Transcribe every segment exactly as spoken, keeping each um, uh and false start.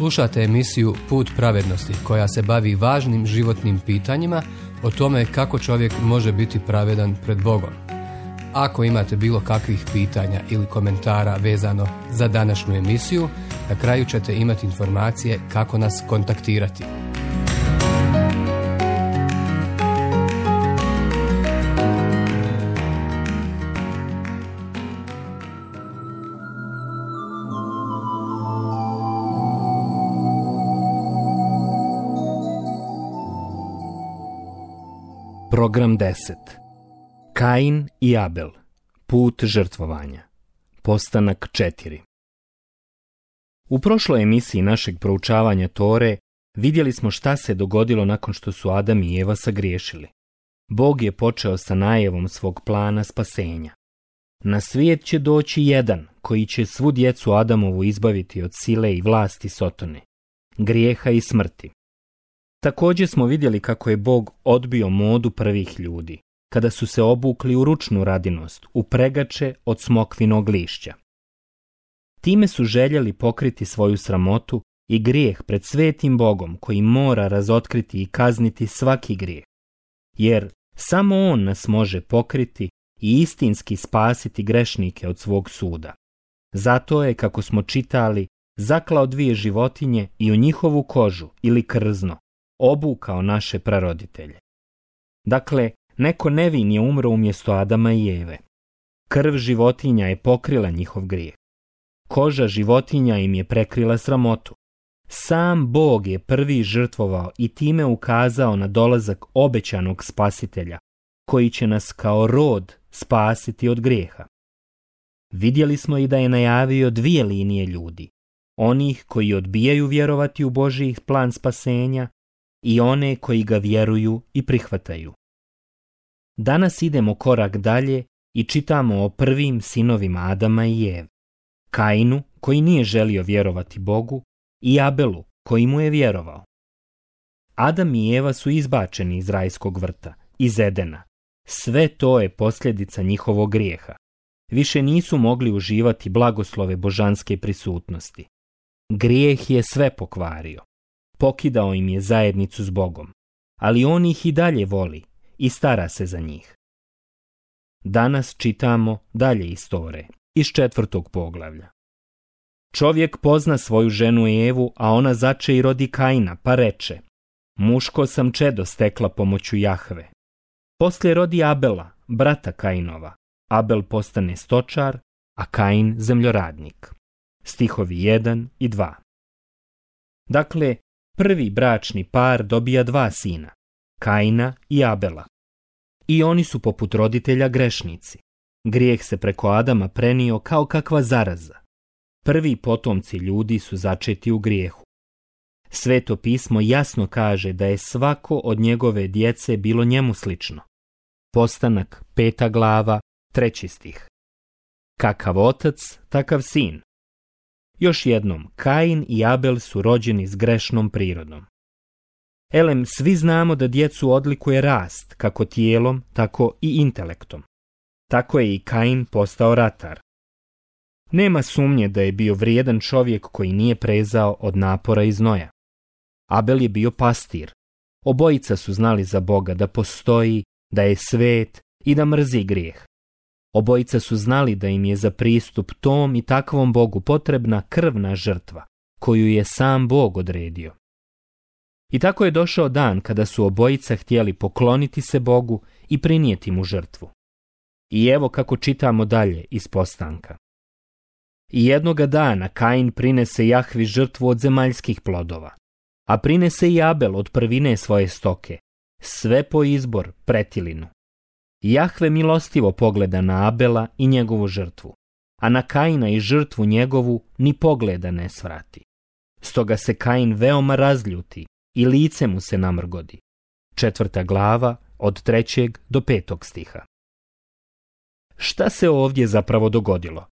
Slušate emisiju Put pravednosti koja se bavi važnim životnim pitanjima o tome kako čovjek može biti pravedan pred Bogom. Ako imate bilo kakvih pitanja ili komentara vezano za današnju emisiju, na kraju ćete imati informacije kako nas kontaktirati. Program deset. Kain i Abel. Put žrtvovanja. Postanak četiri. U prošloj emisiji našeg proučavanja Tore vidjeli smo šta se dogodilo nakon što su Adam i Eva sagriješili. Bog je počeo sa najavom svog plana spasenja. Na svijet će doći jedan koji će svu djecu Adamovu izbaviti od sile i vlasti Sotone, grijeha i smrti. Također smo vidjeli kako je Bog odbio modu prvih ljudi, kada su se obukli u ručnu radinost, u pregače od smokvinog lišća. Time su željeli pokriti svoju sramotu i grijeh pred svetim Bogom koji mora razotkriti i kazniti svaki grijeh, jer samo On nas može pokriti i istinski spasiti grešnike od svog suda. Zato je, kako smo čitali, zaklao dvije životinje i u njihovu kožu ili krzno obukao naše praroditelje. Dakle, neko nevin je umro umjesto Adama i Eve. Krv životinja je pokrila njihov grijeh. Koža životinja im je prekrila sramotu. Sam Bog je prvi žrtvovao i time ukazao na dolazak obećanog spasitelja, koji će nas kao rod spasiti od grijeha. Vidjeli smo i da je najavio dvije linije ljudi, onih koji odbijaju vjerovati u Božji plan spasenja i one koji ga vjeruju i prihvataju. Danas idemo korak dalje i čitamo o prvim sinovima Adama i Eve, Kainu koji nije želio vjerovati Bogu i Abelu koji mu je vjerovao. Adam i Eva su izbačeni iz rajskog vrta, iz Edena. Sve to je posljedica njihovog grijeha. Više nisu mogli uživati blagoslove božanske prisutnosti. Grijeh je sve pokvario. Pokidao im je zajednicu s Bogom, ali on ih i dalje voli i stara se za njih. Danas čitamo dalje iz Tore, iz četvrtog poglavlja. Čovjek pozna svoju ženu Evu, a ona zače i rodi Kaina, pa reče: muško sam čedo stekla pomoću Jahve. Poslije rodi Abela, brata Kainova. Abel postane stočar, a Kain zemljoradnik. Stihovi jedan i dva. Dakle, prvi bračni par dobija dva sina, Kaina i Abela. I oni su poput roditelja grešnici. Grijeh se preko Adama prenio kao kakva zaraza. Prvi potomci ljudi su začeti u grijehu. Sveto pismo jasno kaže da je svako od njegove djece bilo njemu slično. Postanak, peta glava, treći stih. Kakav otac, takav sin. Još jednom, Kain i Abel su rođeni s grešnom prirodom. Elem, svi znamo da djecu odlikuje rast, kako tijelom, tako i intelektom. Tako je i Kain postao ratar. Nema sumnje da je bio vrijedan čovjek koji nije prezao od napora i znoja. Abel je bio pastir. Obojica su znali za Boga da postoji, da je svet i da mrzi grijeh. Obojica su znali da im je za pristup tom i takvom Bogu potrebna krvna žrtva, koju je sam Bog odredio. I tako je došao dan kada su obojica htjeli pokloniti se Bogu i prinijeti mu žrtvu. I evo kako čitamo dalje iz postanka. I jednoga dana Kain prinese Jahvi žrtvu od zemaljskih plodova, a prinese i Abel od prvine svoje stoke, sve po izbor pretilinu. Jahve milostivo pogleda na Abela i njegovu žrtvu, a na Kaina i žrtvu njegovu ni pogleda ne svrati. Stoga se Kain veoma razljuti i lice mu se namrgodi. Četvrta glava od trećeg do petog stiha. Šta se ovdje zapravo dogodilo?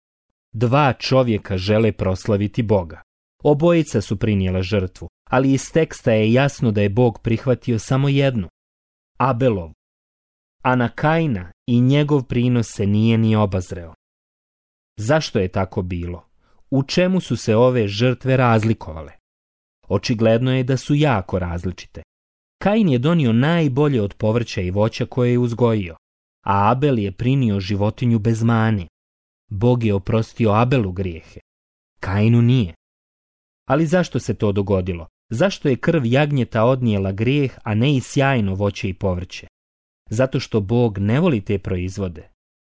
Dva čovjeka žele proslaviti Boga. Obojica su prinijela žrtvu, ali iz teksta je jasno da je Bog prihvatio samo jednu, Abelovu. A na Kaina i njegov prinos se nije ni obazreo. Zašto je tako bilo? U čemu su se ove žrtve razlikovale? Očigledno je da su jako različite. Kain je donio najbolje od povrća i voća koje je uzgojio, a Abel je prinio životinju bez mane. Bog je oprostio Abelu grijehe, Kainu nije. Ali zašto se to dogodilo? Zašto je krv jagnjeta odnijela grijeh, a ne i sjajno voće i povrće? Zato što Bog ne voli te proizvode?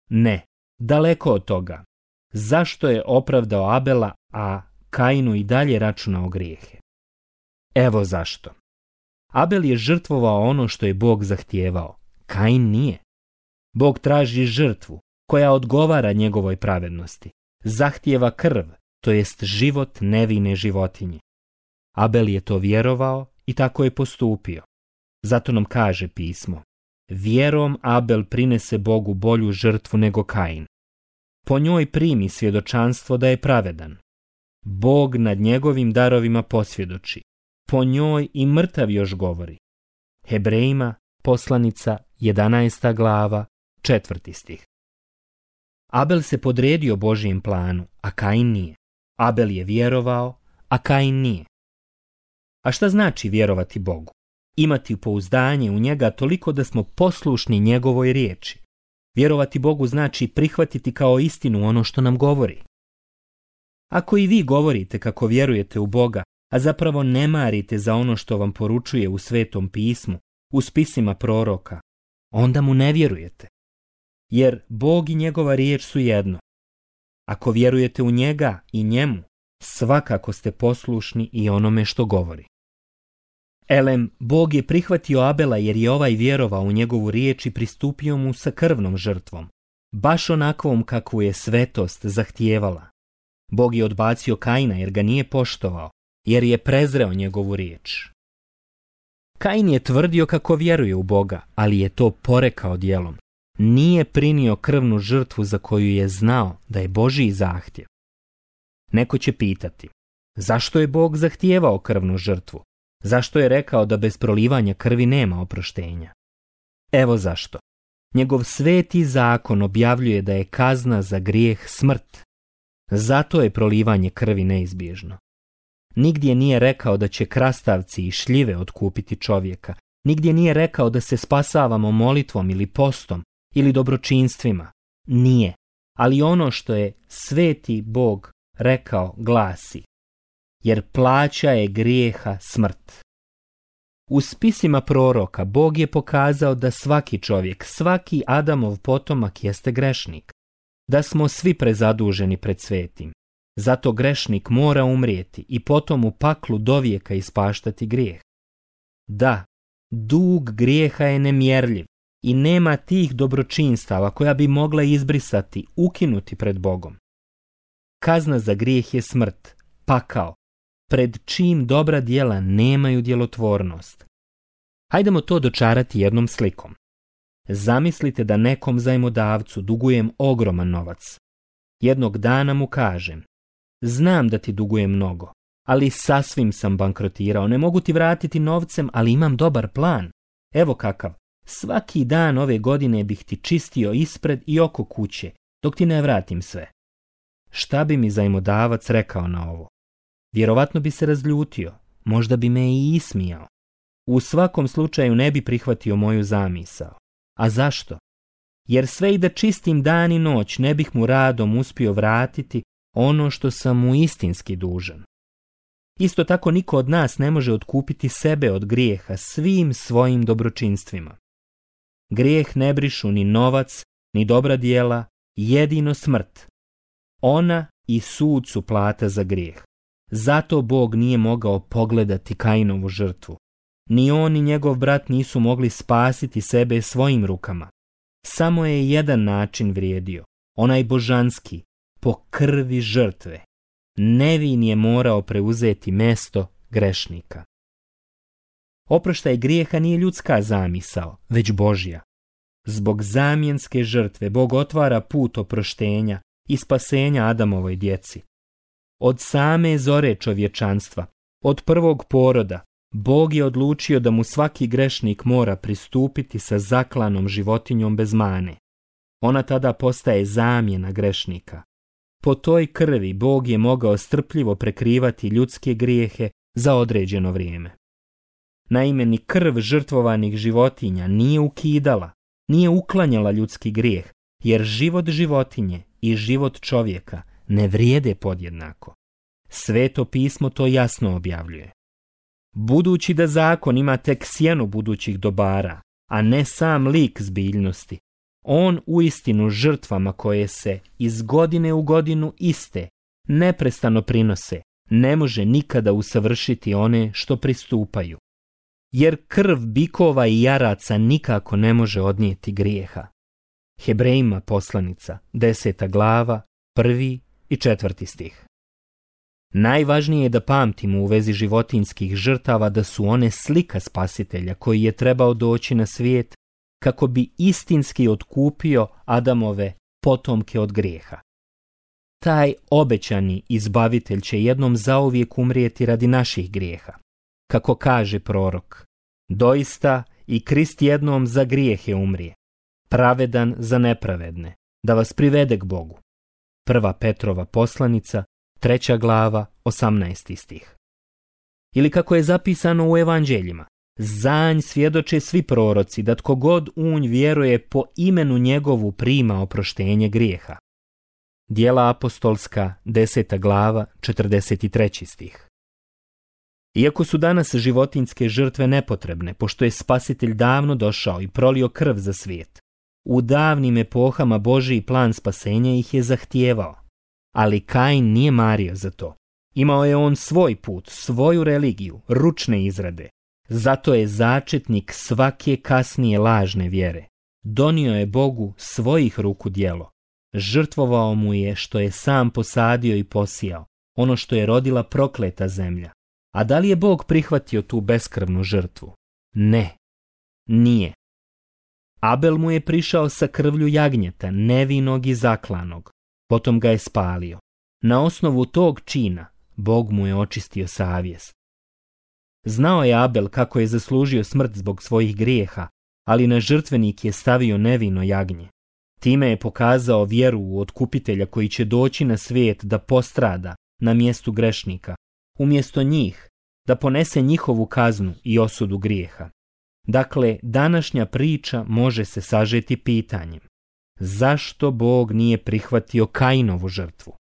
Ne, daleko od toga. Zašto je opravdao Abela, a Kainu i dalje računao grijehe? Evo zašto. Abel je žrtvovao ono što je Bog zahtijevao, Kain nije. Bog traži žrtvu koja odgovara njegovoj pravednosti. Zahtijeva krv, to jest život nevine životinje. Abel je to vjerovao i tako je postupio. Zato nam kaže pismo: vjerom Abel prinese Bogu bolju žrtvu nego Kain. Po njoj primi svjedočanstvo da je pravedan. Bog nad njegovim darovima posvjedoči. Po njoj i mrtav još govori. Hebrejima, poslanica, jedanaesta glava, četvrti stih. Abel se podredio Božijem planu, a Kain nije. Abel je vjerovao, a Kain nije. A šta znači vjerovati Bogu? Imati pouzdanje u njega toliko da smo poslušni njegovoj riječi. Vjerovati Bogu znači prihvatiti kao istinu ono što nam govori. Ako i vi govorite kako vjerujete u Boga, a zapravo ne marite za ono što vam poručuje u Svetom pismu, u spisima proroka, onda mu ne vjerujete. Jer Bog i njegova riječ su jedno. Ako vjerujete u njega i njemu, svakako ste poslušni i onome što govori. Elem, Bog je prihvatio Abela jer je ovaj vjerovao u njegovu riječ i pristupio mu sa krvnom žrtvom, baš onakvom kakvu je svetost zahtijevala. Bog je odbacio Kaina jer ga nije poštovao, jer je prezreo njegovu riječ. Kain je tvrdio kako vjeruje u Boga, ali je to porekao djelom. Nije prinio krvnu žrtvu za koju je znao da je Božji zahtjev. Neko će pitati, zašto je Bog zahtijevao krvnu žrtvu? Zašto je rekao da bez prolivanja krvi nema oproštenja? Evo zašto. Njegov sveti zakon objavljuje da je kazna za grijeh smrt. Zato je prolivanje krvi neizbježno. Nigdje nije rekao da će krastavci i šljive otkupiti čovjeka. Nigdje nije rekao da se spasavamo molitvom ili postom ili dobročinstvima. Nije. Ali ono što je sveti Bog rekao glasi: jer plaća je grijeha smrt. U spisima proroka Bog je pokazao da svaki čovjek, svaki Adamov potomak jeste grešnik. Da smo svi prezaduženi pred svetim. Zato grešnik mora umrijeti i potom u paklu dovijeka ispaštati grijeh. Da, dug grijeha je nemjerljiv i nema tih dobročinstava koja bi mogla izbrisati, ukinuti pred Bogom. Kazna za grijeh je smrt, pakao, pred čim dobra djela nemaju djelotvornost. Hajdemo to dočarati jednom slikom. Zamislite da nekom zajmodavcu dugujem ogroman novac. Jednog dana mu kažem: znam da ti dugujem mnogo, ali sasvim sam bankrotirao, ne mogu ti vratiti novcem, ali imam dobar plan. Evo kakav, svaki dan ove godine bih ti čistio ispred i oko kuće, dok ti ne vratim sve. Šta bi mi zajmodavac rekao na ovo? Vjerovatno bi se razljutio, možda bi me i ismijao. U svakom slučaju ne bi prihvatio moju zamisao. A zašto? Jer sve i da čistim dan i noć ne bih mu radom uspio vratiti ono što sam mu istinski dužan. Isto tako niko od nas ne može otkupiti sebe od grijeha svim svojim dobročinstvima. Grijeh ne brišu ni novac, ni dobra djela, jedino smrt. Ona i sud su plata za grijeh. Zato Bog nije mogao pogledati Kainovu žrtvu. Ni on ni njegov brat nisu mogli spasiti sebe svojim rukama. Samo je jedan način vrijedio, onaj božanski, po krvi žrtve. Nevin je morao preuzeti mjesto grešnika. Oproštaj grijeha nije ljudska zamisao, već Božja. Zbog zamjenske žrtve Bog otvara put oproštenja i spasenja Adamovoj djeci. Od same zore čovječanstva, od prvog poroda, Bog je odlučio da mu svaki grešnik mora pristupiti sa zaklanom životinjom bez mane. Ona tada postaje zamjena grešnika. Po toj krvi Bog je mogao strpljivo prekrivati ljudske grijehe za određeno vrijeme. Naime, ni krv žrtvovanih životinja nije ukidala, nije uklanjala ljudski grijeh, jer život životinje i život čovjeka ne vrijede podjednako. Sveto pismo to jasno objavljuje. Budući da zakon ima tek sjenu budućih dobara, a ne sam lik zbiljnosti, on uistinu žrtvama koje se iz godine u godinu iste, neprestano prinose, ne može nikada usavršiti one što pristupaju. Jer krv bikova i jaraca nikako ne može odnijeti grijeha. Hebrejima poslanica, deseta glava, prvi i četvrti stih. Najvažnije je da pamtimo u vezi životinjskih žrtava da su one slika Spasitelja koji je trebao doći na svijet kako bi istinski otkupio Adamove potomke od grijeha. Taj obećani izbavitelj će jednom zauvijek umrijeti radi naših grijeha. Kako kaže prorok, doista i Krist jednom za grijehe umrije, pravedan za nepravedne, da vas privede k Bogu. Prva Petrova poslanica, treća glava, osamnaesti stih. Ili kako je zapisano u evanđeljima, zanj svjedoče svi proroci da tko god unj vjeruje po imenu njegovu prima oproštenje grijeha. Djela apostolska, deseta glava, četrdeset treći stih. Iako su danas životinjske žrtve nepotrebne, pošto je Spasitelj davno došao i prolio krv za svijet, u davnim epohama Božji plan spasenja ih je zahtijevao. Ali Kain nije mario za to. Imao je on svoj put, svoju religiju, ručne izrade. Zato je začetnik svake kasnije lažne vjere. Donio je Bogu svojih ruku djelo. Žrtvovao mu je što je sam posadio i posijao, ono što je rodila prokleta zemlja. A da li je Bog prihvatio tu beskrvnu žrtvu? Ne, nije. Abel mu je prišao sa krvlju jagnjeta, nevinog i zaklanog. Potom ga je spalio. Na osnovu tog čina Bog mu je očistio savjest. Znao je Abel kako je zaslužio smrt zbog svojih grijeha, ali na žrtvenik je stavio nevino jagnje. Time je pokazao vjeru u otkupitelja koji će doći na svijet da postrada na mjestu grešnika, umjesto njih, da ponese njihovu kaznu i osudu grijeha. Dakle, današnja priča može se sažeti pitanjem: zašto Bog nije prihvatio Kainovu žrtvu?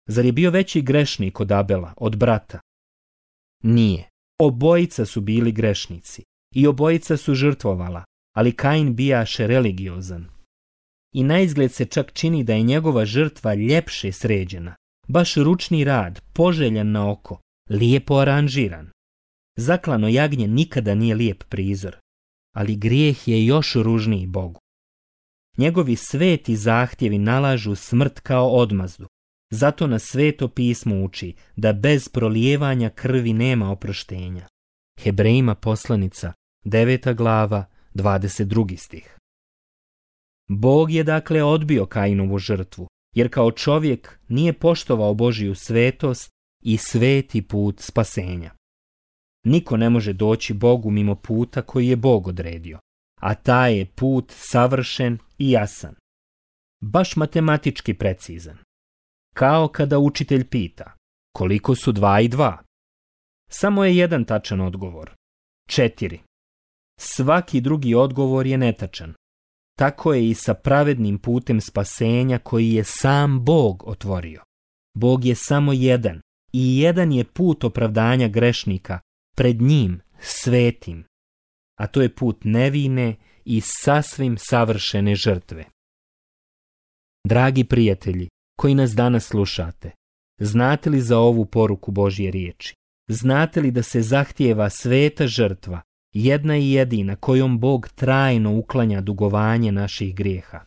Zar je bio veći grešnik od Abela, od brata? Nije. Obojica su bili grešnici i obojica su žrtvovala, ali Kain bijaše religiozan. I naizgled se čak čini da je njegova žrtva ljepše sređena, baš ručni rad, poželjan na oko, lijepo aranžiran. Zaklano jagnje nikada nije lijep prizor, ali grijeh je još ružniji Bogu. Njegovi sveti zahtjevi nalažu smrt kao odmazdu. Zato nas Sveto pismo uči da bez prolijevanja krvi nema oproštenja. Hebrejima poslanica, deveta glava, dvadeset drugi stih. Bog je dakle odbio Kainovu žrtvu, jer kao čovjek nije poštovao Božju svetost i sveti put spasenja. Niko ne može doći Bogu mimo puta koji je Bog odredio, a taj je put savršen i jasan. Baš matematički precizan. Kao kada učitelj pita, koliko su dva i dva? Samo je jedan tačan odgovor. Četiri. Svaki drugi odgovor je netačan. Tako je i sa pravednim putem spasenja koji je sam Bog otvorio. Bog je samo jedan i jedan je put opravdanja grešnika pred njim, svetim. A to je put nevine i sasvim savršene žrtve. Dragi prijatelji, koji nas danas slušate, znate li za ovu poruku Božje riječi? Znate li da se zahtijeva sveta žrtva, jedna i jedina kojom Bog trajno uklanja dugovanje naših grijeha?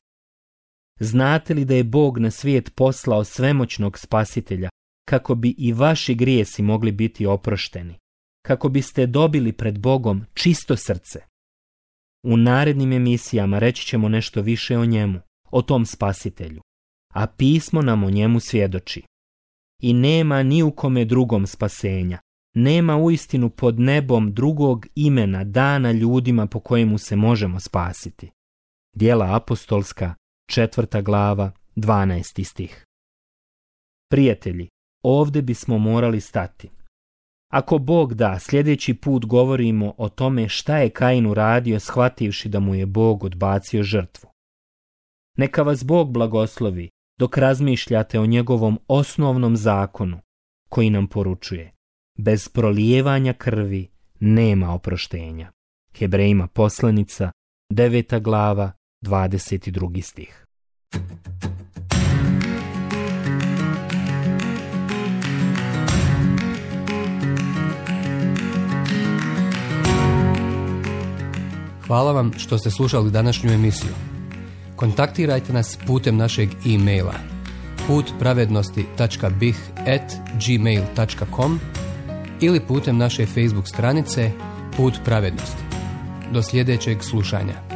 Znate li da je Bog na svijet poslao svemoćnog Spasitelja kako bi i vaši grijesi mogli biti oprošteni, kako biste dobili pred Bogom čisto srce? U narednim emisijama reći ćemo nešto više o njemu, o tom Spasitelju, a pismo nam o njemu svjedoči. I nema ni u kome drugom spasenja, nema uistinu pod nebom drugog imena dana ljudima po kojemu se možemo spasiti. Djela apostolska, četvrta glava, dvanaesti stih. Prijatelji, ovdje bismo morali stati. Ako Bog da, sljedeći put govorimo o tome šta je Kain uradio shvativši da mu je Bog odbacio žrtvu. Neka vas Bog blagoslovi dok razmišljate o njegovom osnovnom zakonu koji nam poručuje: bez prolijevanja krvi nema oproštenja. Hebrejima poslanica, deveta glava, dvadeset drugi stih. Hvala vam što ste slušali današnju emisiju. Kontaktirajte nas putem našeg e-maila put pravednosti tačka b i h at gmail tačka com ili putem naše Facebook stranice Put pravednosti. Do sljedećeg slušanja.